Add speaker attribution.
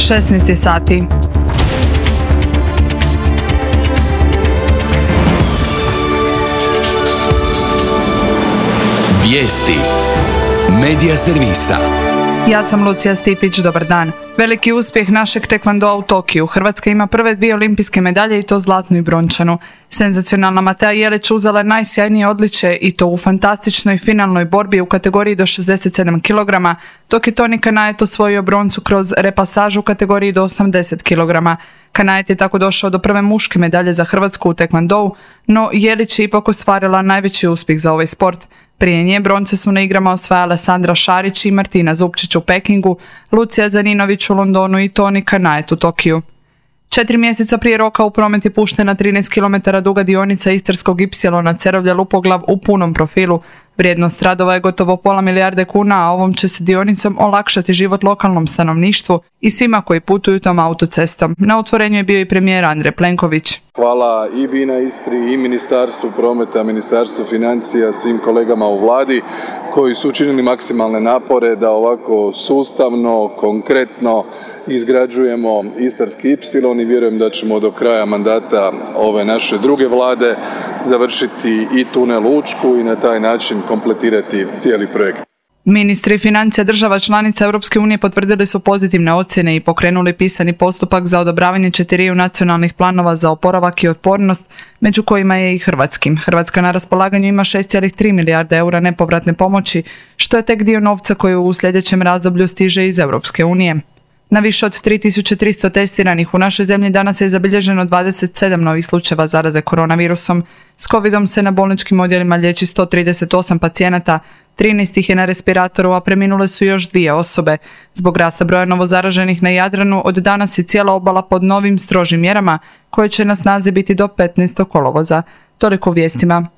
Speaker 1: 16 sati.
Speaker 2: Vijesti Medija servisa.
Speaker 1: Ja sam Lucija Stipić, dobar dan. Veliki uspjeh našeg tekvandoa u Tokiju. Hrvatska ima prve 2 olimpijske medalje i to zlatnu i brončanu. Senzacionalna Matea Jelić uzela je najsjajnije odličje i to u fantastičnoj finalnoj borbi u kategoriji do 67 kg, dok je Toni Kanajet osvojio broncu kroz repasažu u kategoriji do 80 kg. Kanajet je tako došao do prve muške medalje za Hrvatsku u tekvandou, no Jelić je ipak ostvarila najveći uspjeh za ovaj sport. Prije nje bronce su na igrama osvajale Sandra Šarić i Martina Zupčić u Pekingu, Lucija Zaninović u Londonu i Toni Kanajet u Tokiju. 4 mjeseca prije roka u promet je puštena 13 km duga dionica Istarskog ipsilona Cerovlja-Lupoglav u punom profilu. Vrijednost radova je gotovo pola milijarde kuna, a ovom će se dionicom olakšati život lokalnom stanovništvu i svima koji putuju tom autocestom. Na otvorenju je bio i premijer Andrej Plenković.
Speaker 3: Hvala i BINA Istri i Ministarstvu prometa, Ministarstvu financija, svim kolegama u vladi koji su učinili maksimalne napore da ovako sustavno, konkretno izgrađujemo Istarski ipsilon i vjerujem da ćemo do kraja mandata ove naše druge vlade završiti i tunel Učku i na taj način kompletirati cijeli projekt.
Speaker 1: Ministri financija država članica Europske unije potvrdili su pozitivne ocjene i pokrenuli pisani postupak za odobravanje 4 nacionalnih planova za oporavak i otpornost, među kojima je i hrvatskim. Hrvatska na raspolaganju ima 6,3 milijarde eura nepovratne pomoći, što je tek dio novca koji u sljedećem razdoblju stiže iz Europske unije. Na više od 3300 testiranih u našoj zemlji danas je zabilježeno 27 novih slučajeva zaraze koronavirusom. S covidom se na bolničkim odjelima liječi 138 pacijenata, 13 ih je na respiratoru, a preminule su još 2 osobe. Zbog rasta broja novozaraženih na Jadranu, od danas je cijela obala pod novim strožim mjerama koje će na snazi biti do 15. kolovoza. Toliko u vijestima.